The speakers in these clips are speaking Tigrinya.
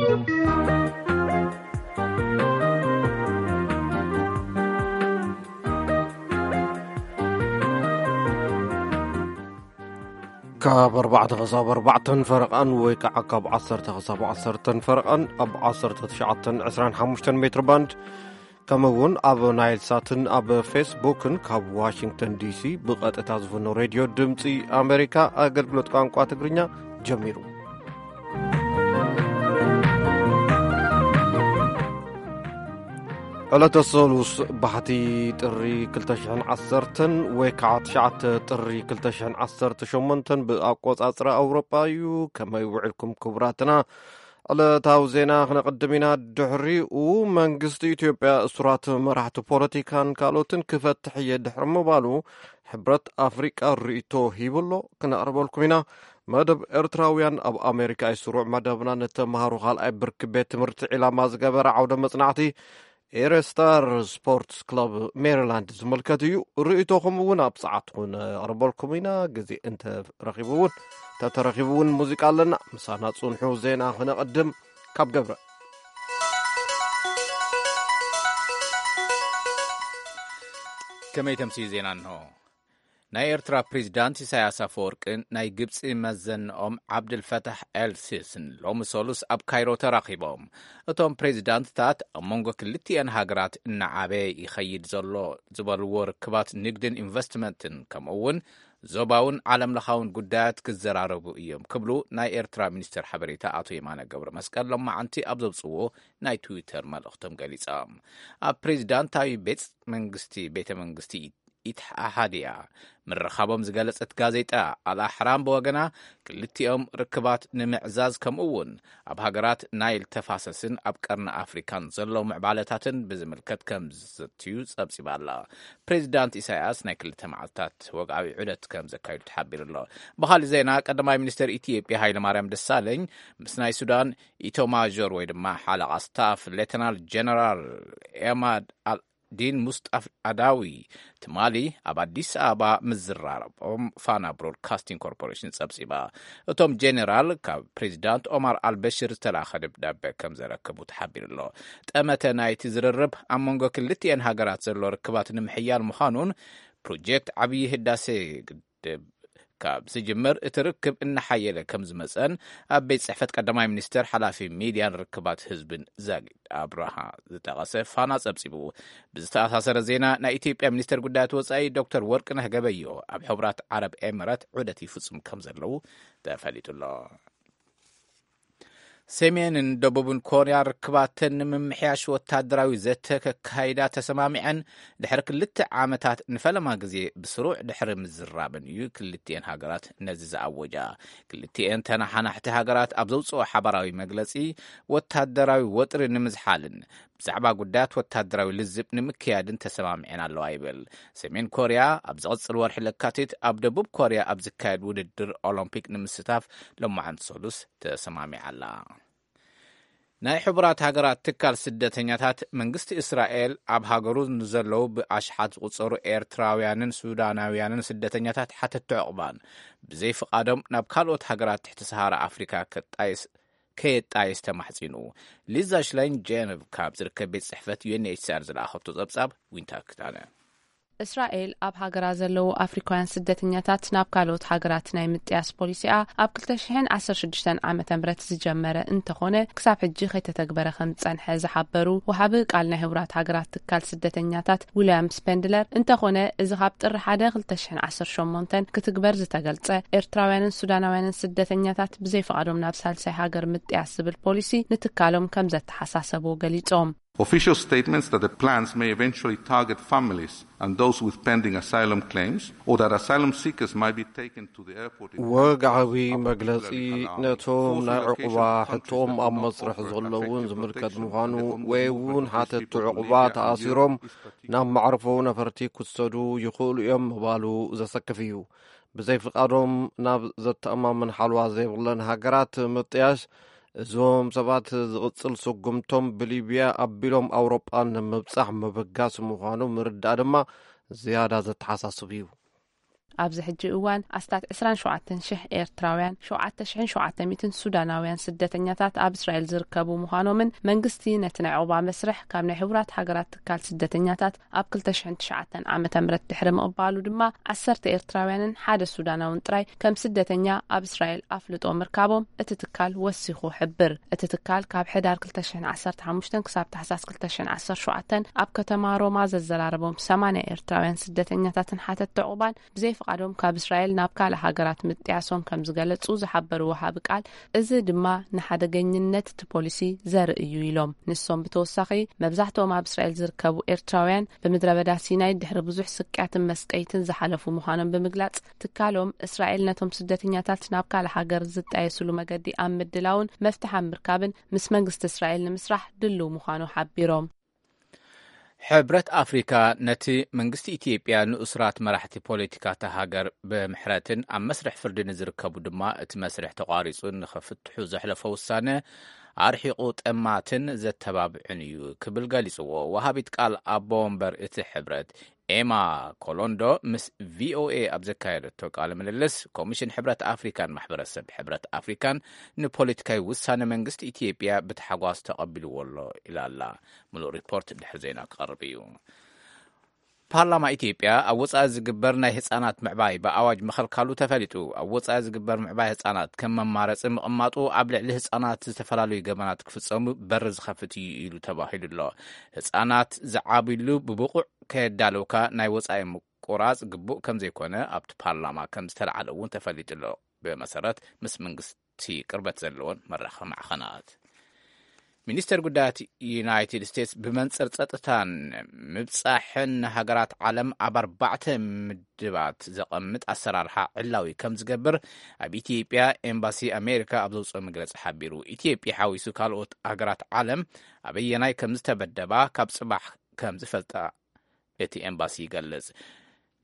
ካብ ኣርባዕተ ክሳብ ኣርባዕተን ፈረቓን ወይ ከዓ ካብ ዓሰርተ ክሳብ ዓሰርተን ፈረቓን ኣብ ዓሰርተ ትሽዓተን ዕስራን ሓሙሽተን ሜትር ባንድ፣ ከምኡ እውን ኣብ ናይል ሳትን ኣብ ፌስቡክን ካብ ዋሽንግተን ዲሲ ብቐጥታ ዝፍኖ ሬድዮ ድምፂ ኣሜሪካ ኣገልግሎት ቋንቋ ትግርኛ ጀሚሩ። ዕለተ ሰሉስ ባሕቲ ጥሪ ክልተ ሽሕን ዓሰርተን ወይ ከዓ ትሽዓተ ጥሪ ክልተ ሽሕን ዓሰርተ ሸሞንተን ብኣቆጻጽራ ኣውሮጳ እዩ። ከመይ ውዕልኩም ክቡራትና? ዕለታዊ ዜና ክነቕድም ኢና። ድሕሪኡ መንግስቲ ኢትዮጵያ እሱራት መራሕቲ ፖለቲካን ካልኦትን ክፈትሕ እየ ድሕሪ ምባሉ ሕብረት ኣፍሪቃ ርእይቶ ሂቡ ኣሎ። ክነቕርበልኩም ኢና። መደብ ኤርትራውያን ኣብ ኣሜሪካ እዩ ስሩዕ መደብና። ንተምሃሮ ካልኣይ ብርኪ ቤት ትምህርቲ ዒላማ ዝገበረ ዓውደ መጽናዕቲ ኤረስታር ስፖርትስ ክለብ ሜሪላንድ ዝምልከት እዩ። ርእይቶኹም እውን ኣብ ሰዓትኩ ነቕርበልኩም ኢና። ግዜ እንተረኺቡ እውን፣ ተተረኺቡ እውን ሙዚቃ ኣለና። ምሳና ጽንሑ። ዜና ክነቐድም ካብ ገብረ። ከመይ ተምስዩ ዜና እንሆ። ናይ ኤርትራ ፕሬዚዳንት ኢሳያስ ኣፈወርቅን ናይ ግብጺ መዘንኦም ዓብድልፈታሕ ኤል ሲስን ሎሚ ሰሉስ ኣብ ካይሮ ተራኺቦም። እቶም ፕሬዚዳንትታት ኣብ መንጎ ክልቲኤን ሃገራት እናዓበየ ይኸይድ ዘሎ ዝበልዎ ርክባት ንግድን ኢንቨስትመንትን፣ ከምኡ እውን ዞባውን ዓለም ለኻውን ጉዳያት ክዘራረቡ እዮም ክብሉ ናይ ኤርትራ ሚኒስትር ሓበሬታ ኣቶ የማነ ገብረ መስቀል ሎማዓንቲ ኣብ ዘውፅዎ ናይ ትዊተር መልእኽቶም ገሊጾም። ኣብ ፕሬዚዳንታዊ ቤት መንግስቲ፣ ቤተ መንግስቲ ኢትሓሓድያ ምርኻቦም ዝገለጸት ጋዜጣ ኣልኣሕራም ብወገና፣ ክልቲኦም ርክባት ንምዕዛዝ፣ ከምኡ እውን ኣብ ሃገራት ናይል ተፋሰስን ኣብ ቀርኒ ኣፍሪካን ዘለዉ ምዕባለታትን ብዝምልከት ከም ዝዝትዩ ጸብጺባ ኣላ። ፕሬዚዳንት ኢሳያስ ናይ ክልተ መዓልታት ወግዓዊ ዑደት ከም ዘካይዱ ተሓቢሩ ኣሎ። ብኻልእ ዜና፣ ቀዳማይ ሚኒስትር ኢትዮጵያ ሃይለማርያም ደሳለኝ ምስ ናይ ሱዳን ኢቶማዦር ወይ ድማ ሓለቓ ስታፍ ሌተናል ጀነራል ኤማድ ኣል ዲን ሙስጣፍ ኣዳዊ ትማሊ ኣብ ኣዲስ ኣበባ ምዝራረቦም ፋና ብሮድካስቲንግ ኮርፖሬሽን ጸብጺባ። እቶም ጄኔራል ካብ ፕሬዚዳንት ኦማር ኣልበሽር ዝተላኸ ደብዳበ ከም ዘረከቡ ተሓቢሩ ኣሎ። ጠመተ ናይቲ ዝርርብ ኣብ መንጎ ክልቲኤን ሃገራት ዘሎ ርክባት ንምሕያል ምዃኑን ፕሮጀክት ዓብዪ ህዳሴ ግድብ ካብ ዝጅምር እቲ ርክብ እናሓየለ ከም ዝመጸን ኣብ ቤት ጽሕፈት ቀዳማይ ሚኒስትር ሓላፊ ሚድያን ርክባት ህዝብን ዛጊድ ኣብርሃ ዝጠቐሰ ፋና ጸብጺቡ። ብዝተኣሳሰረ ዜና፣ ናይ ኢትዮጵያ ሚኒስትር ጉዳያት ወጻኢ ዶክተር ወርቅነህ ገበዮ ኣብ ሕቡራት ዓረብ ኤምረት ዑደት ይፍጽሙ ከም ዘለዉ ተፈሊጡ ኣሎ። ሰሜንን ደቡብን ኮርያ ርክባተን ንምምሕያሽ ወታደራዊ ዘተ ከካይዳ ተሰማሚዐን ድሕሪ ክልተ ዓመታት ንፈለማ ግዜ ብስሩዕ ድሕሪ ምዝራበን እዩ ክልቲኤን ሃገራት ነዚ ዝኣወጃ። ክልቲኤን ተነሓናሕቲ ሃገራት ኣብ ዘውፅኦ ሓባራዊ መግለፂ፣ ወታደራዊ ወጥሪ ንምዝሓልን ብዛዕባ ጉዳያት ወታደራዊ ልዝብ ንምክያድን ተሰማሚዐን ኣለዋ ይብል። ሰሜን ኮርያ ኣብ ዝቕጽል ወርሒ ለካቲት ኣብ ደቡብ ኮርያ ኣብ ዝካየድ ውድድር ኦሎምፒክ ንምስታፍ ሎማዓንቲ ሰሉስ ተሰማሚዓ ኣላ። ናይ ሕቡራት ሃገራት ትካል ስደተኛታት፣ መንግስቲ እስራኤል ኣብ ሃገሩ ንዘለዉ ብኣሽሓት ዝቑጸሩ ኤርትራውያንን ሱዳናውያንን ስደተኛታት ሓተቲ ዕቑባን ብዘይ ፍቓዶም ናብ ካልኦት ሃገራት ትሕቲ ሰሃራ ኣፍሪካ ከጣይስ ከየጣይስ ተማሕጺኑ። ሊዛ ሽላይን ጀነቭ ካብ ዝርከብ ቤት ጽሕፈት ዩ ኤን ኤች ሲ ኣር ዝለኣኸቶ ጸብጻብ ዊንታ ክታነ። እስራኤል ኣብ ሃገራ ዘለዉ ኣፍሪካውያን ስደተኛታት ናብ ካልኦት ሃገራት ናይ ምጥያስ ፖሊሲኣ ኣብ ክልተ ሽሕን ዓሰርተ ሽዱሽተን ዓመተ ምህረት ዝጀመረ እንተኾነ፣ ክሳብ ሕጂ ከይተተግበረ ከም ዝጸንሐ ዝሓበሩ ወሃቢ ቃል ናይ ህቡራት ሃገራት ትካል ስደተኛታት ዊልያም ስፐንድለር፣ እንተኾነ እዚ ካብ ጥሪ ሓደ ክልተ ሽሕን ዓሰርተ ሸሞንተን ክትግበር ዝተገልጸ፣ ኤርትራውያንን ሱዳናውያንን ስደተኛታት ብዘይፍቓዶም ናብ ሳልሳይ ሃገር ምጥያስ ዝብል ፖሊሲ ንትካሎም ከም ዘተሓሳሰብዎ ገሊጾም። Official statements that the plans may eventually target families and those with pending asylum claims, or that asylum seekers might be taken to the airport in ወግዓዊ መግለጺ ነቶም ናይ ዕቑባ ሕቶኦም ኣብ መስርሕ ዘለውን ዝምልከት ምዃኑ፣ ወይ እውን ሓተቲ ዕቑባ ተኣሲሮም ናብ መዕርፎ ነፈርቲ ክሰዱ ይኽእሉ እዮም ምባሉ ዘሰክፍ እዩ። ብዘይፍቓዶም ናብ ዘተኣማምን ሓልዋ ዘይብለን ሃገራት ምጥያሽ፣ እዞም ሰባት ዝቕጽል ስጉምቶም ብሊብያ ኣቢሎም ኣውሮጳ ንምብጻሕ ምብጋስ ምዃኑ ምርዳእ ድማ ዝያዳ ዘተሓሳስብ እዩ። ኣብዚ ሕጂ እዋን ኣስታት ዕስራን ሸውዓተን ሽሕ ኤርትራውያን፣ ሸውዓተ ሽሕን ሸውዓተ ሚእትን ሱዳናውያን ስደተኛታት ኣብ እስራኤል ዝርከቡ ምዃኖምን መንግስቲ ነቲ ናይ ዑቕባ መስርሕ ካብ ናይ ሕቡራት ሃገራት ትካል ስደተኛታት ኣብ ክልተ ሽሕን ትሽዓተን ዓመተ ምህረት ድሕሪ ምቕባሉ ድማ ዓሰርተ ኤርትራውያንን ሓደ ሱዳናውን ጥራይ ከም ስደተኛ ኣብ እስራኤል ኣፍልጦ ምርካቦም እቲ ትካል ወሲኹ ሕብር። እቲ ትካል ካብ ሕዳር ክልተ ሽሕን ዓሰርተ ሓሙሽተን ክሳብ ታሕሳስ ክልተ ሽሕን ዓሰርተ ሸውዓተን ኣብ ከተማ ሮማ ዘዘራረቦም ሰማንያ ኤርትራውያን ስደተኛታትን ሓተትቲ ዑቕባን ብዘይፍቓዶም ካብ እስራኤል ናብ ካልእ ሃገራት ምጥያሶም ከም ዝገለጹ ዝሓበሩ ወሃቢ ቃል፣ እዚ ድማ ንሓደገኝነት እቲ ፖሊሲ ዘርኢ እዩ ኢሎም። ንሶም ብተወሳኺ መብዛሕትኦም ኣብ እስራኤል ዝርከቡ ኤርትራውያን ብምድረ በዳ ሲናይ ድሕሪ ብዙሕ ስቅያትን መስቀይትን ዝሓለፉ ምዃኖም ብምግላጽ፣ ትካሎም እስራኤል ነቶም ስደተኛታት ናብ ካልእ ሃገር ዝጣየስሉ መገዲ ኣብ ምድላውን መፍትሒ ኣብ ምርካብን ምስ መንግስቲ እስራኤል ንምስራሕ ድልው ምዃኑ ሓቢሮም። ሕብረት ኣፍሪካ ነቲ መንግስቲ ኢትዮጵያ ንእሱራት መራሕቲ ፖለቲካ እታ ሃገር ብምሕረትን ኣብ መስርሕ ፍርዲ ንዝርከቡ ድማ እቲ መስርሕ ተቋሪጹ ንኽፍትሑ ዘሕለፎ ውሳነ ኣርሒቑ ጠማትን ዘተባብዕን እዩ ክብል ገሊጽዎ። ወሃቢት ቃል ኣቦ ወንበር እቲ ሕብረት ኤማ ኮሎንዶ ምስ ቪኦኤ ኣብ ዘካየደቶ ቃለ ምልልስ፣ ኮሚሽን ሕብረት ኣፍሪካን ማሕበረሰብ ሕብረት ኣፍሪካን ንፖለቲካዊ ውሳነ መንግስቲ ኢትዮጵያ ብታሕጓስ ተቐቢልዎ ኣሎ ኢላ ኣላ። ምሉእ ሪፖርት ድሕሪ ዜና ክቐርብ እዩ። ፓርላማ ኢትዮጵያ ኣብ ወጻኢ ዝግበር ናይ ህጻናት ምዕባይ ብኣዋጅ ምኽልካሉ ተፈሊጡ። ኣብ ወጻኢ ዝግበር ምዕባይ ህጻናት ከም መማረጺ ምቕማጡ ኣብ ልዕሊ ህጻናት ዝተፈላለዩ ገበናት ክፍጸሙ በር ዝኸፍት እዩ ኢሉ ተባሂሉ ኣሎ። ህጻናት ዝዓብሉ ብብቑዕ ከየዳለውካ ናይ ወጻኢ ምቁራጽ ግቡእ ከም ዘይኮነ ኣብቲ ፓርላማ ከም ዝተለዓለ እውን ተፈሊጡ ኣሎ። ብመሰረት ምስ መንግስቲ ቅርበት ዘለዎን መራኸቢ ማዕኸናት። ሚኒስተር ጉዳያት ዩናይትድ ስቴትስ ብመንጽር ጸጥታን ምብጻሕን ንሃገራት ዓለም ኣብ ኣርባዕተ ምድባት ዘቐምጥ ኣሰራርሓ ዕላዊ ከም ዝገብር ኣብ ኢትዮጵያ ኤምባሲ ኣሜሪካ ኣብ ዘውፅኦ መግለጺ ሓቢሩ። ኢትዮጵያ ሓዊሱ ካልኦት ሃገራት ዓለም ኣበየናይ ከም ዝተበደባ ካብ ጽባሕ ከም ዝፈልጣ እቲ ኤምባሲ ይገልጽ።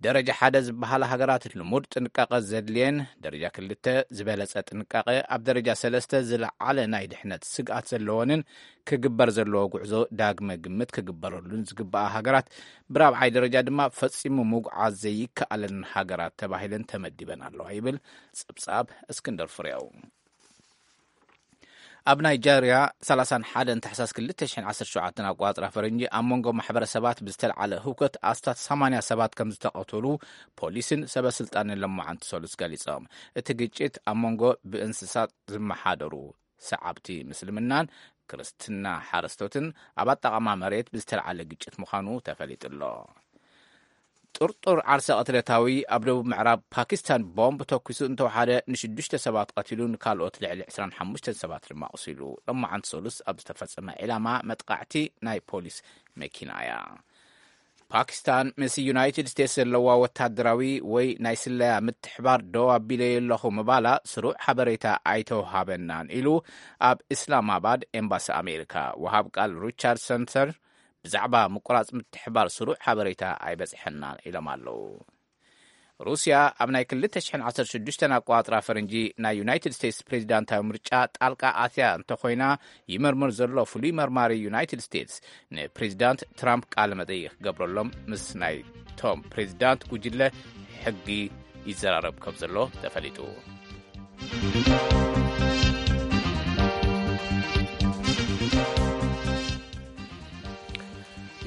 ደረጃ ሓደ ዝበሃላ ሃገራት ልሙድ ጥንቃቐ ዘድልየን፣ ደረጃ ክልተ ዝበለጸ ጥንቃቐ፣ ኣብ ደረጃ ሰለስተ ዝለዓለ ናይ ድሕነት ስግኣት ዘለወንን ክግበር ዘለዎ ጉዕዞ ዳግመ ግምት ክግበረሉን ዝግበኣ ሃገራት፣ ብራብዓይ ደረጃ ድማ ፈጺሙ ምጉዓዝ ዘይከኣለን ሃገራት ተባሂለን ተመዲበን ኣለዋ ይብል ጸብጻብ እስክንድር ፍሬው። ኣብ ናይጀርያ ሰላሳን ሓደን ታሕሳስ ክልተ ሽሕን ዓሰርተ ሸውዓተን ኣቆጻጽራ ፈረንጂ ኣብ መንጎ ማሕበረሰባት ብዝተልዓለ ህውከት ኣስታት ሰማንያ ሰባት ከም ዝተቐተሉ ፖሊስን ሰበ ስልጣንን ሎማዓንቲ ሰሉስ ገሊጾም። እቲ ግጭት ኣብ መንጎ ብእንስሳት ዝመሓደሩ ሰዓብቲ ምስልምናን ክርስትና ሓረስቶትን ኣብ ኣጠቓቕማ መሬት ብዝተልዓለ ግጭት ምዃኑ ተፈሊጡ ኣሎ። ጥርጡር ዓርሰ ቅትለታዊ ኣብ ደቡብ ምዕራብ ፓኪስታን ቦምብ ተኩሱ እንተወሓደ ንሽዱሽተ ሰባት ቀቲሉ ንካልኦት ልዕሊ ዕስራን ሓሙሽተን ሰባት ድማ ኣቑሲሉ። ሎማዓንቲ ሰሉስ ኣብ ዝተፈጸመ ዒላማ መጥቃዕቲ ናይ ፖሊስ መኪና እያ። ፓኪስታን ምስ ዩናይትድ ስቴትስ ዘለዋ ወታደራዊ ወይ ናይ ስለያ ምትሕባር ደው ኣቢለዮ ኣለኹ ምባላ ስሩዕ ሓበሬታ ኣይተውሃበናን ኢሉ ኣብ እስላማባድ ኤምባሲ ኣሜሪካ ወሃብ ቃል ሪቻርድ ሰንተር ብዛዕባ ምቁራጽ ምትሕባር ስሩዕ ሓበሬታ ኣይበጽሐናን ኢሎም ኣለዉ። ሩስያ ኣብ ናይ ክልተ ሽሕን ዓሰርተ ሽዱሽተን ኣቆጻጽራ ፈረንጂ ናይ ዩናይትድ ስቴትስ ፕሬዚዳንታዊ ምርጫ ጣልቃ ኣትያ እንተኾይና ይመርምር ዘሎ ፍሉይ መርማሪ ዩናይትድ ስቴትስ ንፕሬዚዳንት ትራምፕ ቃለ መጠይቕ ክገብረሎም ምስ ናይ ቶም ፕሬዚዳንት ጉጅለ ሕጊ ይዘራረብ ከም ዘሎ ተፈሊጡ።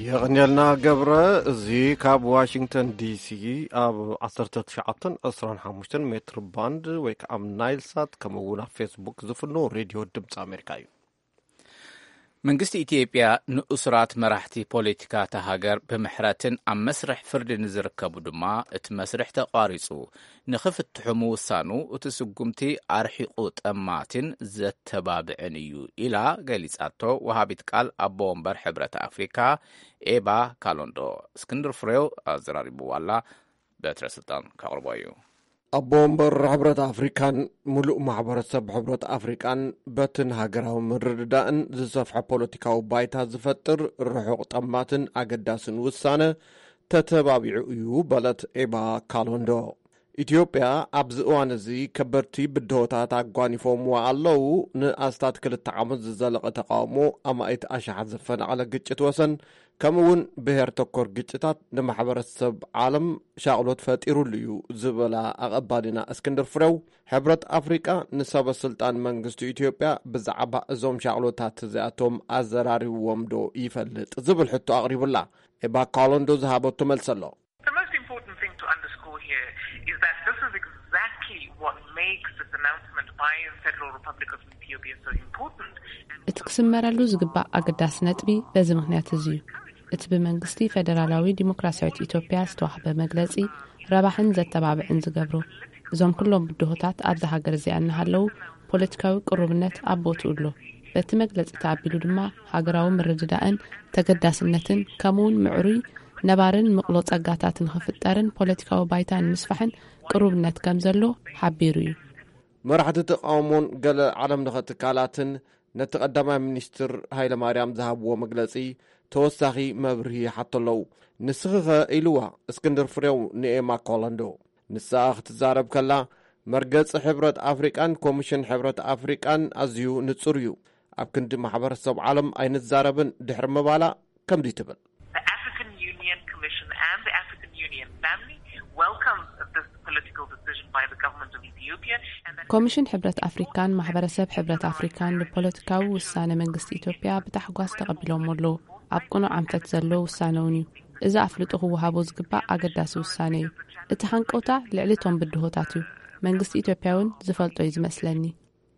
የቐንየልና ገብረ። እዚ ካብ ዋሽንግተን ዲሲ ኣብ ዓሰርተ ትሽዓተን ዕስራን ሓሙሽተን ሜትር ባንድ ወይ ከዓ ኣብ ናይል ሳት ከምኡ እውን ኣብ ፌስቡክ ዝፍኖ ሬድዮ ድምፂ ኣሜሪካ እዩ። መንግስቲ ኢትዮጵያ ንእሱራት መራሕቲ ፖለቲካ እታ ሃገር ብምሕረትን ኣብ መስርሕ ፍርዲ ንዝርከቡ ድማ እቲ መስርሕ ተቋሪጹ ንኽፍትሑ ምውሳኑ እቲ ስጉምቲ ኣርሒቑ ጠማቲን ዘተባብዕን እዩ ኢላ ገሊጻቶ ወሃቢት ቃል ኣቦ ወንበር ሕብረት ኣፍሪካ ኤባ ካሎንዶ። እስክንድር ፍሬው ኣዘራሪብዋ ኣላ። በትረ ስልጣን ከቕርቦ እዩ። ኣቦ ወንበር ሕብረት ኣፍሪካን ምሉእ ማሕበረሰብ ሕብረት ኣፍሪቃን በትን ሃገራዊ ምርድዳእን ዝሰፍሐ ፖለቲካዊ ባይታ ዝፈጥር ርሑቕ ጠማትን ኣገዳስን ውሳነ ተተባቢዑ እዩ በለት ኤባ ካሎንዶ። ኢትዮጵያ ኣብዚ እዋን እዚ ከበድቲ ብድሆታት ኣጓኒፎምዋ ኣለዉ። ንኣስታት ክልተ ዓመት ዝዘለቐ ተቃውሞ፣ ኣማኢት ኣሽሓት ዘፈናቐለ ግጭት ወሰን፣ ከምኡ እውን ብሄር ተኮር ግጭታት ንማሕበረሰብ ዓለም ሻቕሎት ፈጢሩሉ እዩ ዝበላ ኣቐባሊና እስክንድር ፍሬው፣ ሕብረት ኣፍሪቃ ንሰበ ስልጣን መንግስቲ ኢትዮጵያ ብዛዕባ እዞም ሻቕሎታት እዚኣቶም ኣዘራሪብዎም ዶ ይፈልጥ ዝብል ሕቶ ኣቕሪቡላ። ኤባ ካሎንዶ ዝሃበቶ መልሲ ኣሎ። The most important thing to underscore here is that this is exactly what makes this announcement by the Federal Republic of Ethiopia so important. እቲ ክስመረሉ ዝግባእ ኣገዳሲ ነጥቢ በዚ ምኽንያት እዚ እዩ። እቲ ብመንግስቲ ፈደራላዊ ዲሞክራሲያዊት ኢትዮጵያ ዝተዋህበ መግለጺ ረባሕን ዘተባብዕን ዝገብሮ፣ እዞም ኩሎም ብድሆታት ኣብዛ ሃገር እዚኣ እናሃለዉ ፖለቲካዊ ቅሩብነት ኣብ ቦትኡ ኣሎ። በቲ መግለጺ ተኣቢሉ ድማ ሃገራዊ ምርድዳእን ተገዳስነትን ከምኡውን ምዕሩይ ነባርን ምቕሎ ጸጋታት ንኽፍጠርን ፖለቲካዊ ባይታ ንምስፋሕን ቅሩብነት ከም ዘሎ ሓቢሩ እዩ። መራሕቲ ተቃውሞን ገለ ዓለም ለኸ ትካላትን ነቲ ቀዳማይ ሚኒስትር ሃይለማርያም ዝሃብዎ መግለጺ ተወሳኺ መብርሂ ይሓቶ ኣለዉ። ንስኺኸ ኢልዋ እስክንድር ፍሬው ንኤማ ኮለንዶ። ንሳ ክትዛረብ ከላ፣ መርገጺ ሕብረት ኣፍሪቃን ኮሚሽን ሕብረት ኣፍሪቃን ኣዝዩ ንጹር እዩ። ኣብ ክንዲ ማሕበረሰብ ዓለም ኣይንዛረብን ድሕሪ ምባላ ከምዚ ትብል። The African Union Commission and the African Union family welcomes this political decision by the government of Ethiopia and that ኮሚሽን ሕብረት ኣፍሪካን ማሕበረሰብ ሕብረት ኣፍሪካን ንፖለቲካዊ ውሳነ መንግስቲ ኢትዮጵያ ብታሕጓስ ተቐቢሎሞ ኣለዉ። ኣብ ቅኑዕ ኣንፈት ዘሎ ውሳነ እውን እዩ። እዚ ኣፍልጦ ክወሃቦ ዝግባእ ኣገዳሲ ውሳነ እዩ። እቲ ሃንቀውታ ልዕሊ እቶም ብድሆታት እዩ። መንግስቲ ኢትዮጵያ እውን ዝፈልጦ እዩ ዝመስለኒ።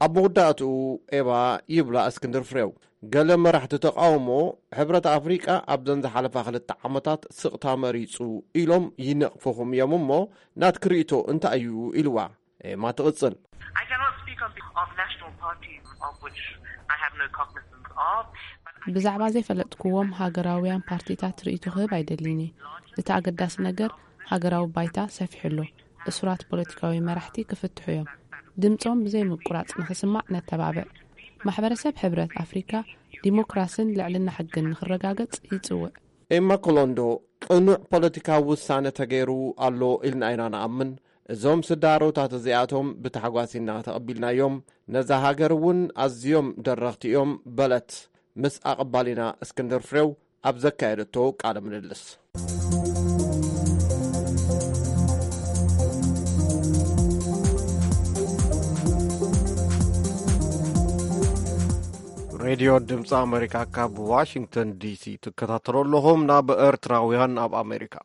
ኣብ መወዳእትኡ ኤባ ይብላ እስክንድር ፍሬው፣ ገለ መራሕቲ ተቃውሞ፣ ሕብረት ኣፍሪቃ ኣብዘን ዝሓለፋ ክልተ ዓመታት ስቕታ መሪጹ ኢሎም ይነቕፍኹም እዮም እሞ፣ ናትኪ ርእይቶ እንታይ እዩ ኢልዋ። ኤማ ትቕጽል። I cannot speak on behalf of national parties of which I have no cognizance of. ብዛዕባ ዘይፈለጥክዎም ሃገራውያን ፓርቲታት ርእይቶ ክህብ ኣይደልይን እየ። እቲ ኣገዳሲ ነገር ሃገራዊ ባይታ ሰፊሑ ኣሎ። እሱራት ፖለቲካዊ መራሕቲ ክፍትሑ እዮም። ድምጾም ብዘይ ምቁራጽ ንኽስማዕ ነተባብዕ። ማሕበረሰብ ሕብረት ኣፍሪካ ዲሞክራስን ልዕልና ሕግን ንኽረጋገጽ ይጽውዕ። ኤማ ኮሎንዶ፣ ቅኑዕ ፖለቲካዊ ውሳነ ተገይሩ ኣሎ ኢልና ኢና ንኣምን። እዞም ስዳሮታት እዚኣቶም ብታሕጓስ ኢና ተቐቢልናዮም። ነዛ ሃገር እውን ኣዝዮም ደረኽቲ እዮም በለት። ምስ ኣቐባሊና እስክንድር ፍሬው ኣብ ዘካየደቶ ቃለ ምልልስ። ሬድዮ ድምፂ ኣሜሪካ ካብ ዋሽንግተን ዲሲ ትከታተሉ ኣለኹም። ናብ ኤርትራውያን ኣብ ኣሜሪካ።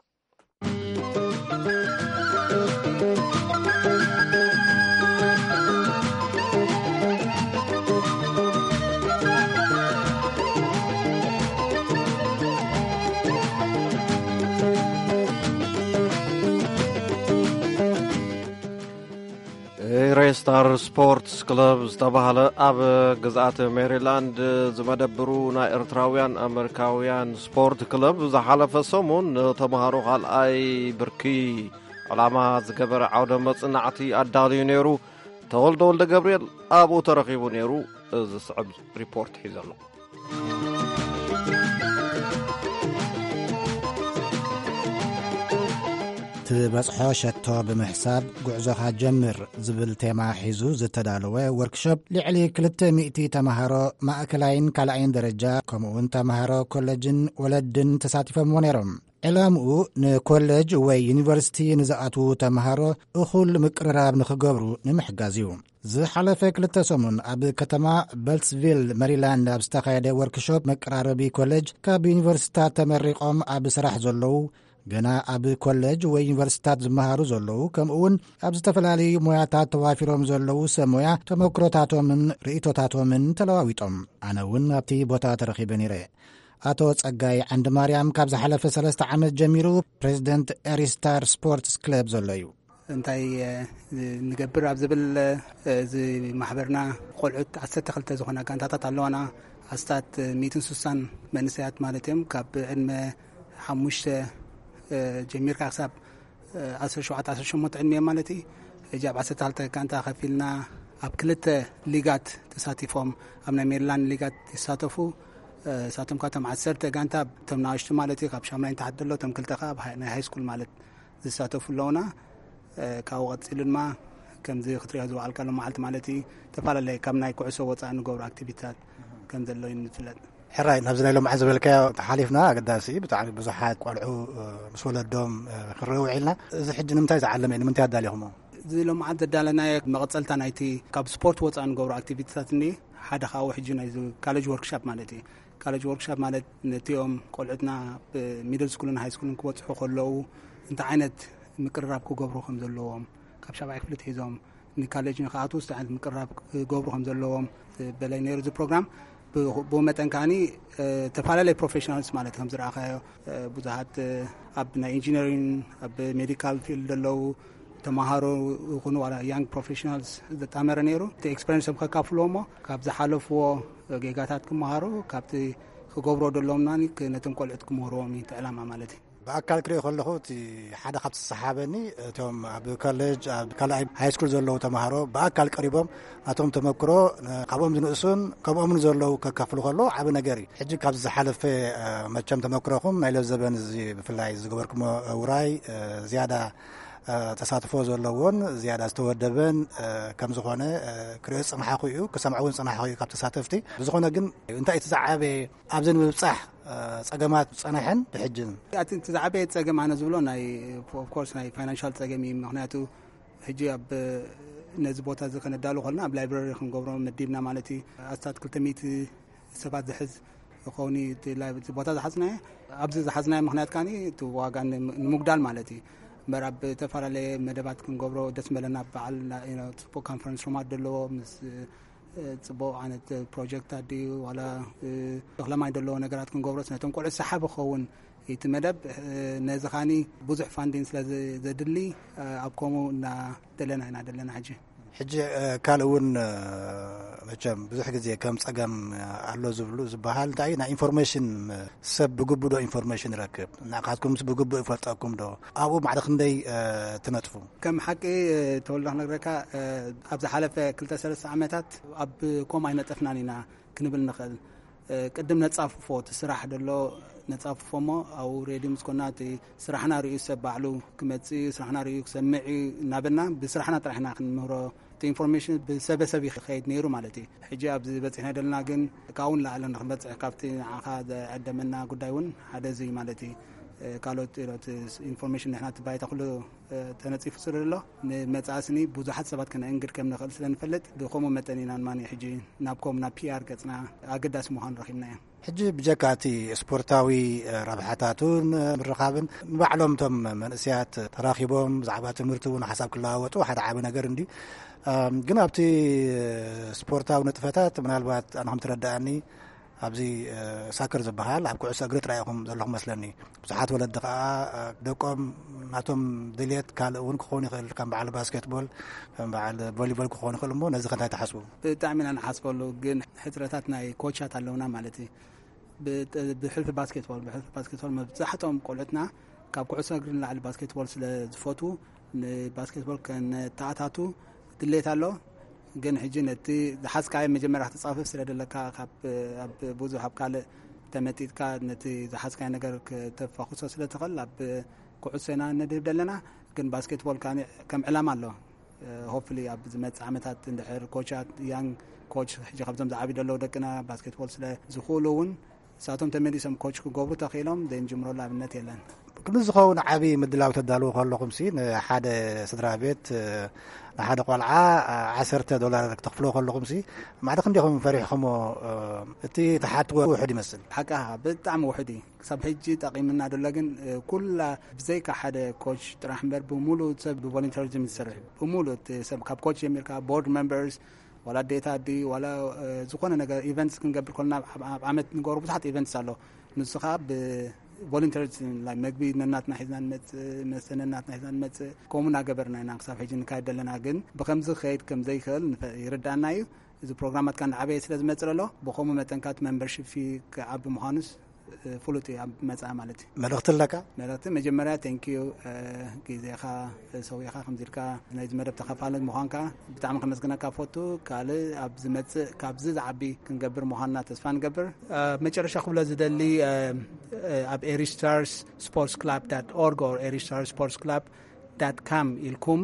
ሬስታር ስፖርትስ ክለብ ዝተባህለ ኣብ ግዝኣት ሜሪላንድ ዝመደብሩ ናይ ኤርትራውያን ኣመሪካውያን ስፖርት ክለብ ዝሓለፈ ሰሙን ንተምሃሮ ካልኣይ ብርኪ ዕላማ ዝገበረ ዓውደ መጽናዕቲ ኣዳልዩ ነይሩ። ተወልደ ወልደ ገብርኤል ኣብኡ ተረኺቡ ነይሩ። እዚ ዝስዕብ ሪፖርት ሒዘ ኣሎ። ትበጽሖ ሸቶ ብምሕሳብ ጉዕዞኻ ጀምር ዝብል ቴማ ሒዙ ዝተዳለወ ወርክሾፕ ልዕሊ ክልተ ሚእቲ ተምሃሮ ማእከላይን ካልኣይን ደረጃ ከምኡውን ተምሃሮ ኮለጅን ወለድን ተሳቲፎምዎ ነይሮም። ዕላምኡ ንኮለጅ ወይ ዩኒቨርሲቲ ንዝኣትዉ ተምሃሮ እኹል ምቅርራብ ንኽገብሩ ንምሕጋዝ እዩ። ዝሓለፈ ክልተ ሰሙን ኣብ ከተማ በልትስቪል መሪላንድ ኣብ ዝተኻየደ ወርክሾፕ መቀራረቢ ኮለጅ ካብ ዩኒቨርሲቲታት ተመሪቖም ኣብ ስራሕ ዘለዉ፣ ገና ኣብ ኮለጅ ወይ ዩኒቨርሲቲታት ዝመሃሩ ዘለዉ፣ ከምኡ እውን ኣብ ዝተፈላለዩ ሞያታት ተዋፊሮም ዘለዉ ሰብ ሞያ ተመክሮታቶምን ርእይቶታቶምን ተለዋዊጦም። ኣነ እውን ኣብቲ ቦታ ተረኺበ ነይረ። ኣቶ ጸጋይ ዓንዲ ማርያም ካብ ዝሓለፈ ሰለስተ ዓመት ጀሚሩ ፕሬዚደንት ኤሪስታር ስፖርትስ ክለብ ዘሎ እዩ። እንታይ ንገብር ኣብ ዝብል፣ እዚ ማሕበርና ቆልዑት ዓሰርተ ክልተ ዝኾና ጋንታታት ኣለዋና። ኣስታት ሚእትን ስሳን መንእሰያት ማለት እዮም። ካብ ዕድመ ሓሙሽተ ጀሚርካ ክሳብ ዓሰርተ ሸውዓተ ዓሰርተ ሸሞንተ ዕድመ እዮም ማለት እዩ። ሕጂ ኣብ ዓሰርተ ክልተ ጋንታ ከፊልና ኣብ ክልተ ሊጋት ተሳቲፎም፣ ኣብ ናይ ሜሪላንድ ሊጋት ይሳተፉ። እሳቶም ካብቶም ዓሰርተ ጋንታ እቶም ናእሽቱ ማለት እዩ፣ ካብ ሻምናይ ንታሕቲ ዘሎ፣ እቶም ክልተ ከዓ ኣብ ሃይ- ናይ ሃይ ስኩል ማለት ዝሳተፉ ኣለውና። ካብኡ ቀፂሉ ድማ ከምዚ ክትሪኦ ዝወዓልካሉ መዓልቲ ማለት እዩ፣ ዝተፈላለየ ካብ ናይ ኩዕሶ ወፃኢ ንገብሩ ኣክቲቪቲታት ከም ዘሎ እዩ ንፍለጥ። ሕራይ ናብዚ ናይ ሎምዓት ዝበልካዮ ተሓሊፍና ኣገዳሲ፣ ብጣዕሚ ብዙሓት ቆልዑ ምስ ወለዶም ክንርኢ ውዒልና። እዚ ሕጂ ንምንታይ ዝዓለመ እዩ? ንምንታይ ኣዳሊኹሞ? እዚ ሎምዓት ዘዳለናዮ መቐፀልታ ናይቲ ካብ ስፖርት ወፃኢ ንገብሩ ኣክቲቪቲታት እንዲ ሓደ ካብኡ ሕጂ ናይ ካሌጅ ወርክሻፕ ማለት እዩ። ካሌጅ ወርክሻፕ ማለት ነቲኦም ቆልዑትና ሚድል ስኩልን ሃይ ስኩልን ክበፅሑ ከለዉ እንታይ ዓይነት ምቅርራብ ክገብሩ ከም ዘለዎም፣ ካብ ሻብዓይ ክፍሊ ትሒዞም ንካሌጅ ንክኣትዉ እንታይ ዓይነት ምቅርራብ ክገብሩ ከም ዘለዎም በላይ ነይሩ እዚ ፕሮግራም። ብኡ መጠን ከዓኒ ተፈላለየ ፕሮፌሽናልስ ማለት ከም ዝረኣኻዮ ብዙሓት ኣብ ናይ ኢንጂነሪንግ ኣብ ሜዲካል ፊልድ ዘለዉ ተማሃሮ ይኹኑ ዋላ ያንግ ፕሮፌሽናልስ ዘጣመረ ነይሩ። እቲ ኤክስፐሪንሶም ከካፍልዎ እሞ ካብ ዝሓለፍዎ ጌጋታት ክመሃሩ ካብቲ ክገብሮ ደለዎም ናኒ ነቶም ቆልዑት ክምህርዎም እዩ እቲ ዕላማ ማለት እዩ። ብኣካል ክሪኦ ከለኹ እቲ ሓደ ካብቲ ዝሰሓበኒ እቶም ኣብ ኮሌጅ ኣብ ካልኣይ ሃይ ስኩል ዘለዉ ተማሃሮ ብኣካል ቀሪቦም ናቶም ተመክሮ ካብኦም ዝንእሱን ከምኦምን ዘለዉ ከካፍሉ ከለዉ ዓቢ ነገር እዩ። ሕጂ ካብዚ ዝሓለፈ መቸም ተመክሮኹም ናይ ለዘበን እዚ ብፍላይ ዝገበርኩሞ ውራይ ዝያዳ ተሳትፎ ዘለዎን ዝያዳ ዝተወደበን ከም ዝኾነ ክሪኦ ዝጸናሕኹ እዩ፣ ክሰምዖ እውን ዝጸናሕኹ እዩ ካብ ተሳተፍቲ። ብዝኾነ ግን እንታይ እቲ ዝዓበየ ኣብዚ ንምብጻሕ ጸገማት ዝጸንሐን ብሕጅን? እቲ ዝዓበየ ጸገም ኣነ ዝብሎ ናይ ኦፍኮርስ ናይ ፋይናንሻል ጸገም እዩ። ምኽንያቱ ሕጂ ኣብ ነዚ ቦታ እዚ ከነዳሉ ከለና ኣብ ላይብረሪ ክንገብሮ መዲብና ማለት እዩ። ኣስታት ክልተ ሚእቲ ሰባት ዝሕዝ ክኸውን እዩ እቲ ቦታ ዝሓዝናዮ። ኣብዚ ዝሓዝናዮ ምኽንያት ከኣ እቲ ዋጋ ንምጉዳል ማለት እዩ። እምበር ኣብ ዝተፈላለየ መደባት ክንገብሮ ደስ መለና። በዓል ጽቡቕ ካንፈረንስ ሩማት ዘለዎ ምስ ጽቡቕ ዓይነት ፕሮጀክታት ድዩ ዋላ እኽለማይ ዘለዎ ነገራት ክንገብሮስ ነቶም ቆልዑ ሰሓቢ ክኸውን እቲ መደብ ነዚ ኻኒ ብዙሕ ፋንዲን ስለ ዘድሊ ኣብ ከምኡ እና ደለና ኢና ደለና ሕጂ። ሕጂ ካልእ እውን መቸም ብዙሕ ግዜ ከም ጸገም ኣሎ ዝብሉ ዝበሃል እንታይ ናይ ኢንፎርሜሽን ሰብ ብግቡእ ዶ ኢንፎርሜሽን ይረክብ? ንዓኻትኩምስ ብግቡእ ይፈልጠኩም ዶ? ኣብኡ ማዕረ ክንደይ ትነጥፉ? ከም ሓቂ ተወልዶ ክነግረካ ኣብ ዝሓለፈ ክልተ ሰለስተ ዓመታት ኣብ ኮም ኣይነጠፍናን ኢና ክንብል ንኽእል። ቅድም ነጻፍፎ እቲ ስራሕ ደሎ ነጻፍፎ እሞ ኣብኡ ሬድዮ ምስ ኮና እቲ ስራሕና ርእዩ ሰብ ባዕሉ ክመጽእ እዩ፣ ስራሕና ርእዩ ክሰምዕ እዩ እናበልና ብስራሕና ጥራሕ ኢና ክንምህሮ። እቲ ኢንፎርሜሽን ብሰበሰብ ይኸይድ ነይሩ ማለት እዩ። ሕጂ ኣብዚ በጺሕና ደለና ግን ካብኡ ንላዕሊ ንክንበጽሕ ካብቲ ንዓኻ ዘዕደመና ጉዳይ እውን ሓደ እዚ እዩ ማለት እዩ። ካልኦት ኢንፎርሜሽን ንሕና እቲ ባይታ ኩሉ ተነጺፉ ስለ ዘሎ ንመጻኢ ስኒ ብዙሓት ሰባት ከነእንግድ ከም ንኽእል ስለ ንፈልጥ ብኸምኡ መጠን ኢና ንማኒ ሕጂ ናብ ኮም ናብ ፒኣር ገጽና ኣገዳሲ ምዃኑ ረኺብናዮ። ሕጂ ብጀካ እቲ ስፖርታዊ ረብሓታቱን ምርኻብን ንባዕሎም እቶም መንእሰያት ተራኺቦም ብዛዕባ ትምህርቲ እውን ሓሳብ ክለዋወጡ ሓደ ዓቢ ነገር እንዲ ግን ኣብቲ ስፖርታዊ ንጥፈታት ምናልባት ኣነ ከም ትረዳኣኒ ኣብዚ ሳክር ዝበሃል ኣብ ኩዕሶ እግሪ ጥራይ ኢኹም ዘለኹም መስለኒ። ብዙሓት ወለዲ ከዓ ደቆም ናቶም ድልየት ካልእ እውን ክኸውን ይኽእል፣ ከም በዓል ባስኬትቦል፣ ከም በዓል ቮሊቦል ክኸውን ይኽእል። እሞ ነዚ ከ እንታይ ትሓስቡ? ብጣዕሚ ኢና ንሓስበሉ፣ ግን ሕፅረታት ናይ ኮቻት ኣለውና ማለት እዩ። ብሕልፊ ባስኬትቦል ብሕልፊ ባስኬትቦል መብዛሕትኦም ቆልዑትና ካብ ኩዕሶ እግሪ ንላዕሊ ባስኬትቦል ስለ ዝፈትዉ ንባስኬትቦል ከነተኣታቱ ድሌት ኣሎ። ግን ሕጂ ነቲ ዝሓዝካዮ መጀመርያ ክትጻፍፍ ስለ ደለካ ካብ ኣብ ብዙሕ ኣብ ካልእ ተመጢጥካ ነቲ ዝሓዝካዮ ነገር ከተፋኹሶ ስለ ትኽእል ኣብ ኩዕሶ ኢና ነድህብ ደለና። ግን ባስኬትቦል ከኣ ከም ዕላማ ኣሎ። ሆፕሊ ኣብ ዝመጽእ ዓመታት እንድሕር ኮቻት ያንግ ኮች ሕጂ ካብዞም ዝዓብዩ ዘለዉ ደቅና ባስኬትቦል ስለ ዝኽእሉ እውን ንሳቶም ተመሊሶም ኮች ክገብሩ ተኽኢሎም ዘይንጅምረሉ ኣብነት የለን። ክንዲ ዝኸውን ዓቢ ምድላው ተዳልዉ ከለኹም ሲ ንሓደ ስድራ ቤት ንሓደ ቆልዓ ዓሰርተ ዶላር ክተኽፍሎ ከለኹም ሲ ማዕረ ክንዲኹም ፈሪሕኹሞ? እቲ ተሓትዎ ውሑድ ይመስል። ሓቃ ብጣዕሚ ውሑድ እዩ። ክሳብ ሕጂ ጠቒምና ደሎ ግን ኩላ ብዘይካ ሓደ ኮች ጥራሕ እምበር ብሙሉእ ሰብ ብቮለንተሪዝም ዝሰርሕ ብሙሉእ ሰብ ካብ ኮች ጀሚርካ ቦርድ ሜምበርስ ዋላ ኣዴታት ድዩ ዋላ ዝኾነ ነገር ኢቨንትስ ክንገብር ከለና ኣብ ዓመት ንገብሮ ብዙሓት ኢቨንትስ ኣሎ። ንሱ ከዓ ብቮለንተርስ መግቢ ነናትና ሒዝና ንመፅእ፣ መስተ ነናትና ሒዝና ንመፅእ። ከምኡ እናገበርና ኢና ክሳብ ሕጂ ንካየድ ዘለና። ግን ብከምዚ ክኸይድ ከም ዘይክእል ይርዳእና እዩ። እዚ ፕሮግራማት ከዓ እንዳዓበየ ስለ ዝመፅእ ዘሎ ብከምኡ መጠን ከዓ እቲ ሜምበርሺፕ ፊ ክዓቢ ምዃኑስ ፍሉጥ እዩ ኣብ መጻኢ ማለት እዩ። መልእኽቲ ኣለካ? መልእኽቲ መጀመርያ thank you ግዜኻ ሰዊኻ ከምዚ ኢልካ ናይዚ መደብ ተኻፋሊ ምዃንካ ብጣዕሚ ከመስግነካ ፈቱ። ካልእ ኣብ ዝመጽእ ካብዚ ዝዓቢ ክንገብር ምዃንና ተስፋ ንገብር። መጨረሻ ክብሎ ዝደሊ ኣብ Eri Stars Sports Club dot org or Eri Stars Sports Club ዳት ካም ኢልኩም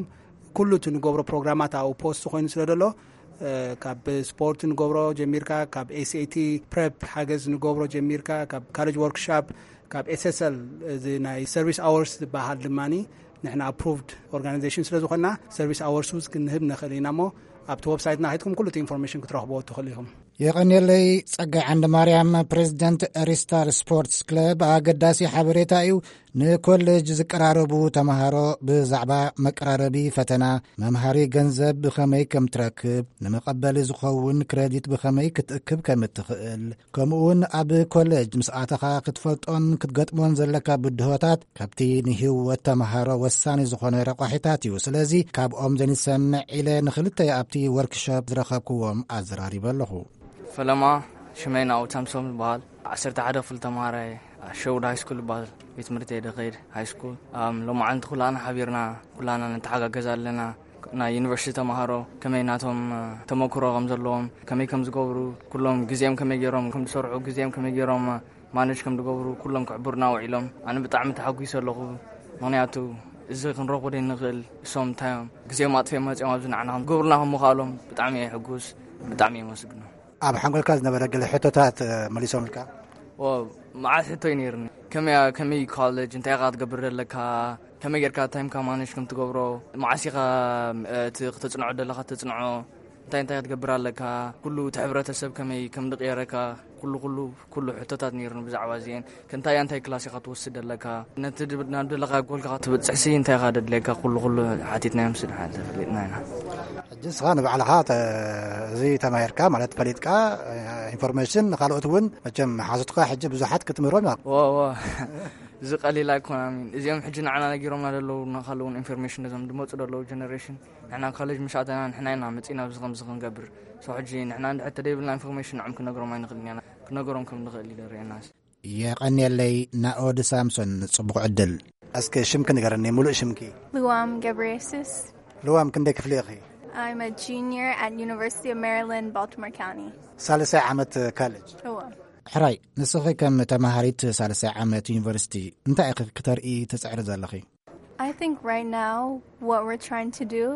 ኩሉ እቲ ንገብሮ ፕሮግራማት ኣብኡ ፖስት ኮይኑ ስለ ዘሎ፣ ካብ ስፖርት ንገብሮ ጀሚርካ፣ ካብ ኤስኤቲ ፕሬፕ ሓገዝ ንገብሮ ጀሚርካ፣ ካብ ካሌጅ ወርክሻፕ፣ ካብ ኤስኤስኤል፣ እዚ ናይ ሰርቪስ ኣወርስ ዝበሃል ድማ ንሕና ኣፕሩቭድ ኦርጋናይዜሽን ስለ ዝኾንና፣ ሰርቪስ ኣወርስ ውስ ክንህብ ንኽእል ኢና። እሞ ኣብቲ ወብሳይትና ከይድኩም ኩሉ እቲ ኢንፎርሜሽን ክትረኽብዎ ትኽእሉ ኢኹም። የቐንየለይ። ጸጋይ ዓንደ ማርያም፣ ፕሬዚደንት ሪስታር ስፖርትስ ክለብ፣ ኣገዳሲ ሓበሬታ እዩ። ንኮሌጅ ዝቀራረቡ ተምሃሮ ብዛዕባ መቀራረቢ ፈተና፣ መምሃሪ ገንዘብ ብኸመይ ከም ትረክብ፣ ንመቐበሊ ዝኸውን ክረዲት ብኸመይ ክትእክብ ከም እትኽእል፣ ከምኡውን ኣብ ኮሌጅ ምስ ኣተኻ ክትፈልጦን ክትገጥሞን ዘለካ ብድሆታት ካብቲ ንህይወት ተምሃሮ ወሳኒ ዝኾነ ረቋሒታት እዩ። ስለዚ ካብኦም ዘንሰምዕ ኢለ ንኽልተ ኣብቲ ወርክሾፕ ዝረኸብክዎም ኣዘራሪበ ኣለኹ። ፈለማ ሽመይ ናኡ ሳምሶም ዝበሃል ዓሰርተ ሓደ ክፍሊ ተምሃራይ ሸውድ ሃይ ስኩል ይበሃል። ቤት ትምህርቲ የደኸይድ ሃይ ስኩል። ኣም፣ ሎማዓንቲ ኩላና ሓቢርና ኩላና ንተሓጋገዝ ኣለና። ናይ ዩኒቨርሲቲ ተምሃሮ ከመይ ናቶም፣ እ፣ ተመክሮ ከም ዘለዎም፣ ከመይ ከም ዝገብሩ፣ ኩሎም ግዜም ከመይ ገይሮም ከም ዝሰርሑ፣ ግዜም ከመይ ገይሮም፣ እ፣ ማነጅ ከም ዝገብሩ ኩሎም ክሕብሩና ውዒሎም። ኣነ ብጣዕሚ ተሓጒሰ ኣለኹ። ምኽንያቱ እዚ ክንረኽቦ ደይ ንኽእል፣ እሶም እንታይ እዮም ግዜም ኣጥፊኦም መፂኦም ኣብዚ ንዓና ከም ዝገብሩና ከም ምኽኣሎም ብጣዕሚ እየ ሕጉስ፣ ብጣዕሚ እየ መስግኖ። ኣብ ሓንጎልካ ዝነበረ ገለ ሕቶታት፣ እ፣ መሊሶምልካ? ኦ፣ መዓት ሕቶ እዩ ነይርኒ። ከመይ፣ ከመይ እዩ ኮሌጅ? እንታይ ኢኻ ትገብር ዘለካ? ከመይ ጌርካ ታይምካ ማኔጅ ከም ትገብሮ? መዓስ ኢኻ፣ እ፣ እቲ ክተጽንዖ ዘለኻ ተጽንዖ? እንታይ እንታይ ክትገብር ኣለካ? ኩሉ እቲ ሕብረተሰብ ከመይ ከም ዝቕየረካ? ኩሉ፣ ኩሉ፣ ኩሉ ሕቶታት ነይርኒ ብዛዕባ እዚአን። ከንታይ ኣንታይ ክላስ ኢኻ ትወስድ ኣለካ? ነቲ ድ-፣ ናብ ደለኻ ጎልካ ክትብጽሕሲ እንታይ ኢኻ ደድልየካ? ኩሉ፣ ኩሉ ሓቲትናዮም ስድሓን ተፈሊጥና ኢና። ሕጂ ንስኻ ንባዕልኻ ተ-፣ እዚ ተማሂርካ ማለት ፈሊጥካ፣ እ፣ ኢንፎርሜሽን ንኻልኦት እውን መቸም ሓዙትካ ሕጂ ብዙሓት ክትምህሮም ኢና። ዎ፣ ዎ። እዚ ቀሊል ኣይኮነን። እዚኦም ሕጂ ንዓና ነጊሮምና ዘለዉ ንኻልእ እውን ኢንፎርሜሽን ነዞም ዝመፁ ዘለዉ ጀነሬሽን። ንሕና ኮሌጅ ምሽ ኣተና ንሕና ኢና መፂና ኣብዚ ከምዚ ክንገብር። ሶ ሕጂ ንሕና እንድሕር ተደይብልና ኢንፎርሜሽን ንዕም ክነግሮም ኣይንኽእልን ኢና። ክነገሮም ከም ንኽእል እዩ ዘርእየና። የቐንየለይ ናኦድ ሳምሶን፣ ጽቡቕ ዕድል። እስከ ሽምኪ ንገረኒ፣ ሙሉእ ሽምኪ? ልዋም ገብረየሱስ። ልዋም፣ ክንደይ ክፍሊ ኢኺ? I'm a junior at University of Maryland, Baltimore County. ሳልሳይ ዓመት ካሌጅ። እወ። ሕራይ፣ ንስኺ ከም ተማሃሪት ሳልሳይ ዓመት ዩኒቨርሲቲ እንታይ ኢኺ ክተርኢ ትጽዕሪ ዘለኺ? I think right now what we're trying to do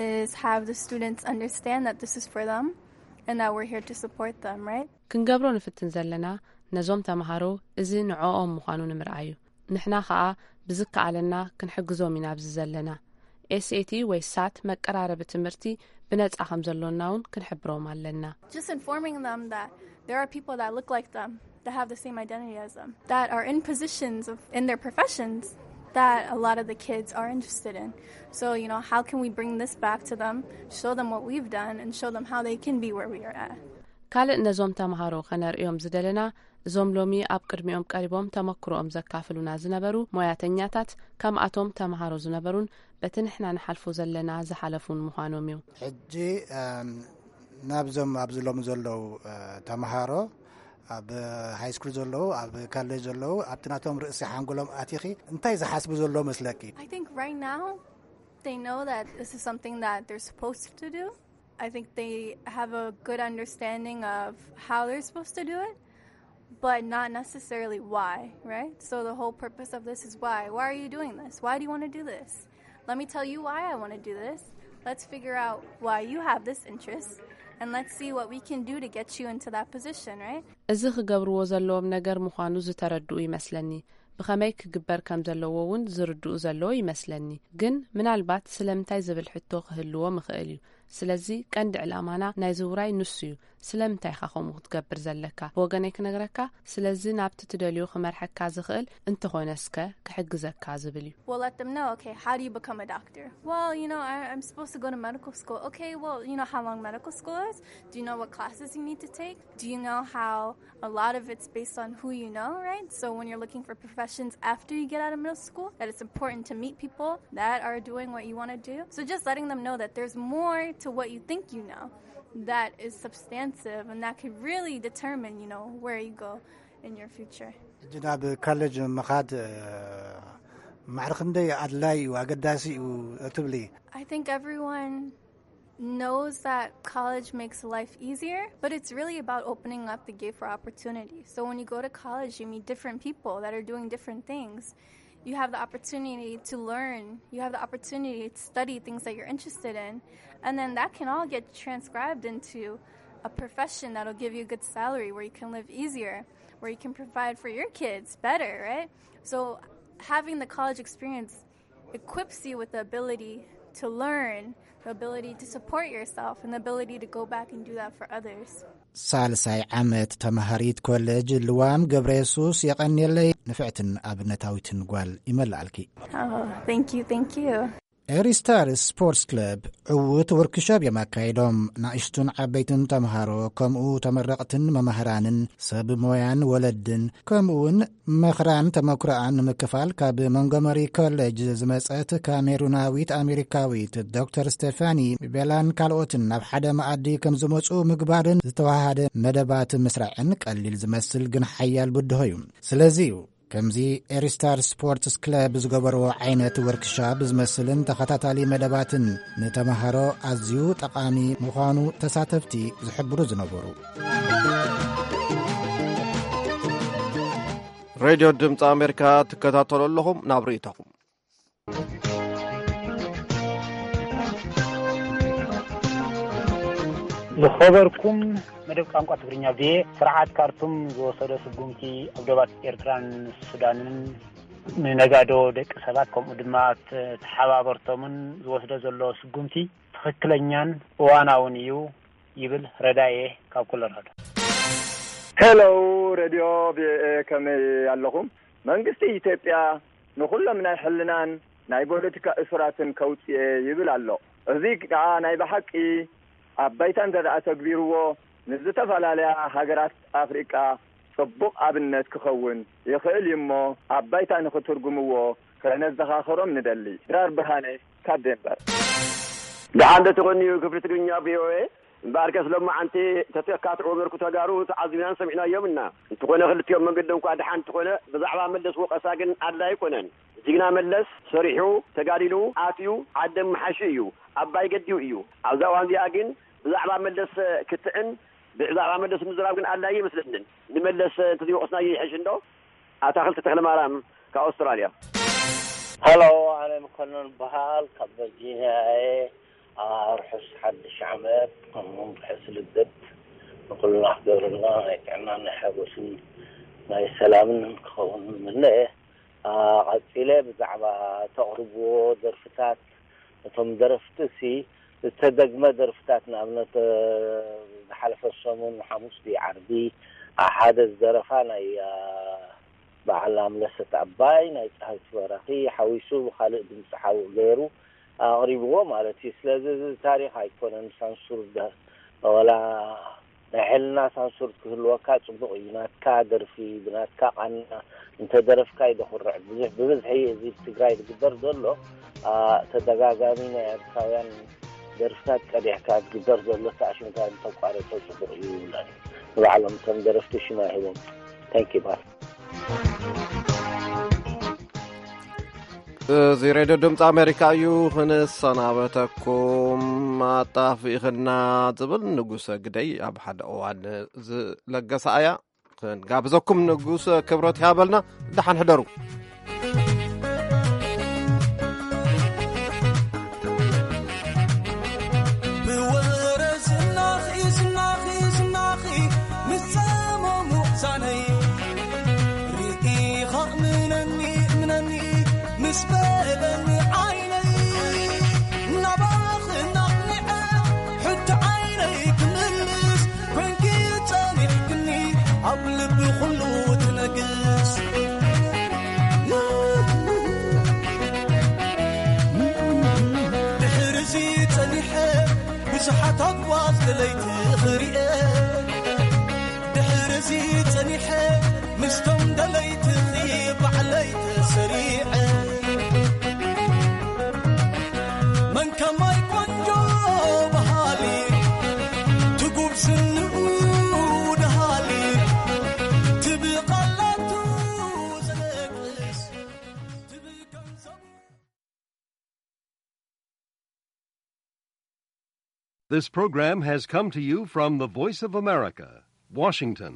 is have the students understand that this is for them and that we're here to support them, right? ክንገብሮ ንፍትን ዘለና ነዞም ተምሃሮ እዚ ንዕኦም ምዃኑ ንምርኣዩ። ንሕና ኸኣ ብዝከኣለና ክንሕግዞም ኢና ኣብዚ ዘለና። ኤስኤቲ ወይ ሳት መቀራረቢ ትምህርቲ ብነጻ ከም ዘሎና እውን ክንሕብሮም ኣለና። Just informing them that there are people that look like them, that have the same identity as them, that are in positions of, in their professions that a lot of the kids are interested in. So, you know, how can we bring this back to them, show them what we've done, and show them how they can be where we are at? ካልእ ነዞም ተምሃሮ ከነርእዮም ዝደለና፣ እዞም ሎሚ ኣብ ቅድሚኦም ቀሪቦም ተመክሮኦም ዘካፍሉና ዝነበሩ ሞያተኛታት፣ ከምኣቶም ተምሃሮ ዝነበሩን በቲ ንሕና ንሓልፎ ዘለና ዝሓለፉን ምዃኖም እዩ። ሕጂ፣ እም፣ ናብዞም ኣብዚ ሎሚ ዘለዉ፣ እ፣ ተምሃሮ፣ ኣብ ሃይ ስኩል ዘለዉ፣ ኣብ ካሌጅ ዘለዉ፣ ኣብቲ ናቶም ርእሲ ሓንጎሎም ኣቲኺ እንታይ ዝሓስቡ ዘለዉ መስለኪ? I think right now they know that this is something that they're supposed to do. I think they have a good understanding of how they're supposed to do it, but not necessarily why, right? So the whole purpose of this is why. Why are you doing this? Why do you want to do this? Let me tell you why I want to do this. Let's figure out why you have this interest, and let's see what we can do to get you into that position, right? እዚ ክገብርዎ ዘለዎም ነገር ምዃኑ ዝተረድኡ ይመስለኒ። ብኸመይ ክግበር ከም ዘለዎ እውን ዝርድኡ ዘለዉ ይመስለኒ። ግን ምናልባት ስለምንታይ ዝብል ሕቶ ክህልዎም ይኽእል እዩ። ስለዚ ቀንዲ ዕላማና ናይዚ ውራይ ንሱ እዩ። ስለምንታይ ኢኻ ከምኡ ክትገብር ዘለካ? ብወገነይ ክነግረካ፣ ስለዚ ናብቲ ትደልዮ ክመርሐካ ዝኽእል እንተኾነ እስከ ክሕግዘካ ዝብል እዩ። We'll let them know, okay, how do you become a doctor? Well, you know, I, I'm supposed to go to medical school. Okay, well, you know how long medical school is? Do you know what classes you need to take? Do you know how a lot of it's based on who you know, right? So when you're looking for professions after you get out of middle school, that it's important to meet people that are doing what you want to do. So just letting them know that there's more to what you think you know that is substantive and that could really determine, you know, where you go in your future. ሕጂ ናብ ካሌጅ ምኻድ፣ እ፣ ማዕረ ክንደይ ኣድላይ እዩ፣ ኣገዳሲ እዩ ትብሊ? I think everyone knows that college makes life easier, but it's really about opening up the gate for opportunity. So when you go to college, you meet different people that are doing different things. You have the opportunity to learn. You have the opportunity to study things that you're interested in. And then that can all get transcribed into a profession that'll give you a good salary, where you can live easier, where you can provide for your kids better, right? So having the college experience equips you with the ability to learn, the ability to support yourself, and the ability to go back and do that for others. ሳልሳይ ዓመት ተማሃሪት ኮሌጅ ልዋም ገብረ የሱስ፣ የቐንየለይ። ንፍዕትን ኣብነታዊትን ጓል ይመልኣልኪ። Oh, thank you, thank you. ኤሪስታር ስፖርትስ ክለብ ዕዉት ወርክሾፕ እዮም ኣካይዶም። ንእሽቱን ዓበይትን ተምሃሮ፣ ከምኡ ተመረቕትን መማህራንን ሰብ ሞያን ወለድን፣ ከምኡ እውን መኽራን ተመክሮኣን ንምክፋል ካብ ሞንጎመሪ ኮሌጅ ዝመጸት ካሜሩናዊት ኣሜሪካዊት ዶክተር ስቴፋኒ ቤላን ካልኦትን ናብ ሓደ መኣዲ ከም ዝመጹ ምግባርን ዝተዋሃደ መደባት ምስራዕን ቀሊል ዝመስል ግን ሓያል ብድሆ እዩ። ስለዚ እዩ ከምዚ ኤሪስታር ስፖርትስ ክለብ ዝገበርዎ ዓይነት ወርክሻፕ ዝመስልን ተኸታታሊ መደባትን ንተምሃሮ ኣዝዩ ጠቓሚ ምዃኑ ተሳተፍቲ ዝሕብሩ ዝነበሩ። ሬድዮ ድምፂ ኣሜሪካ ትከታተሉ ኣለኹም። ናብ ርእይቶኹም። ዝኸበርኩም መደብ ቋንቋ ትግርኛ ቪኦኤ፣ ስርዓት ካርቱም ዝወሰዶ ስጉምቲ ኣብ ዶባት ኤርትራን ሱዳንን ንነጋዶ ደቂ ሰባት ከምኡ ድማ ተሓባበርቶምን ዝወስዶ ዘሎ ስጉምቲ ትኽክለኛን እዋናውን እዩ ይብል ረዳኤ ካብ ኮሎራዶ። ሄሎ፣ ሬድዮ ቪኦኤ፣ ከመይ ኣለኹም? መንግስቲ ኢትዮጵያ ንኹሎም ናይ ሕልናን ናይ ፖለቲካ እሱራትን ከውፅኤ ይብል ኣሎ። እዚ ከዓ ናይ ብሓቂ ኣብ ባይታ እንተ ደኣ ተግቢርዎ፣ ንዝተፈላለያ ሃገራት ኣፍሪቃ ጽቡቕ ኣብነት ክኸውን ይኽእል እዩ እሞ፣ ኣብ ባይታ ንኽትርጉምዎ ከነዘኻኽሮም ንደሊ። ድራር ብርሃነ ካብ ዴንቨር። ደሓን ዶ ትኾንዩ ክፍሊ ትግርኛ ቪኦኤ? እምበኣርከስ ሎማዓንቲ ተተካትዑ በርኩ ተጋሩ ተዓዚብናን ሰሚዕናዮም እና። እንተኾነ ክልቲኦም መንገዶም እኳ ደሓን እንተኾነ፣ ብዛዕባ መለስ ወቐሳ ግን ኣድላይ ኣይኮነን። ጅግና መለስ ሰሪሑ፣ ተጋዲሉ፣ ኣትዩ፣ ዓዲ ምሓሹ እዩ፣ ኣባይ ገዲኡ እዩ። ኣብዛ እዋን እዚኣ ግን ብዛዕባ መለስ ክትዕን ብዛዕባ መለስ ምዝራብ ግን ኣድላይ ይመስለንን። ንመለስ እንተዘይወቐስናዮ ይሕሽ እንዶ። ኣታኽልቲ ተኽለማርያም ካብ ኣውስትራልያ። ሃሎ፣ ኣነ መኮነን በሃል ካብ ቨርጂኒያ እየ። ኣርሑስ ሓድሽ ዓመት፣ ከምኡውን ርሑስ ልደት ንኩልና ክገብረልና ናይ ጥዕናን ናይ ሓጎስን ናይ ሰላምን ክኸውን ምነ። ኣ፣ ቀጺለ ብዛዕባ ተቕርብዎ ደርፍታት፣ እቶም ደረፍቲ ሲ ዝተደግመ ደርፍታት፣ ንኣብነት፣ እ፣ ዝሓለፈ ሰሙን ሓሙስ ድዩ ዓርቢ፣ ኣ፣ ሓደ ዝደረፋ ናይ፣ ኣ፣ በዓል ኣምለሰት ኣባይ፣ ናይ ጸሃይቱ በራኺ ሓዊሱ ብኻልእ ድምጺ ሓውእ ገይሩ ኣቕሪብዎ ማለት እዩ። ስለዚ እዚ ታሪኽ ኣይኮነን ሳንሱር ደ-፣ ወላ ናይ ሕልና ሳንሱር ክህልወካ ጽቡቕ እዩ። ናትካ ደርፊ ብናትካ ቃና እንተ ደረፍካ እዩ ደኹርዕ። ብዙሕ፣ ብብዝሒ እዚ ትግራይ ዝግበር ዘሎ፣ ኣ፣ ተደጋጋሚ ናይ ኤርትራውያን ደርፍታት ቀዲሕካ ዝግበር ዘሎ ተኣሽምታ እንተቋረጾ ጽቡቕ እዩ ይብለኒ። ንባዕሎም እቶም ደረፍቲ ሽማ ሂቦም። Thank you፣ ባይ። እዚ ሬድዮ ድምፂ ኣሜሪካ እዩ። ክንሰናበተኩም ኣጣፊእኽና ዝብል ንጉሰ ግደይ ኣብ ሓደ እዋን ዝለገሳ እያ። ክንጋብዘኩም ንጉሰ ክብረት ይሃበልና። ደሓን ሕደሩ። ብወረ ዝናኺ ዝናኺ ዝናኺ ምስ ጸመሙ ዛነይ ርኢኻ እምነኒ እምነኒ ምስ በለኒ ዓይነይ ናባኺ ናቕኒዐ ሕጂ ዓይነይ ክምልስ ኮንኪ ጸኒሕክኒ ኣብ ልቢ ኩሉ ትነግስ። ድሕርዚ ጸኒሐ ብዙሓት ኣጓዝ ደለይቲ ክሪኤ። ድሕርዚ ጸኒሐ ምስቶም ደለይትኺ ባዕለይ ተሰሪዐ። መን ከማይ ቆንጆ በሃሊ ትጉብዝንኡ ደሃሊ ትብቐላቱ ዘለቅስ ትብቀንዘቡ። This program has come to you from the Voice of America, Washington.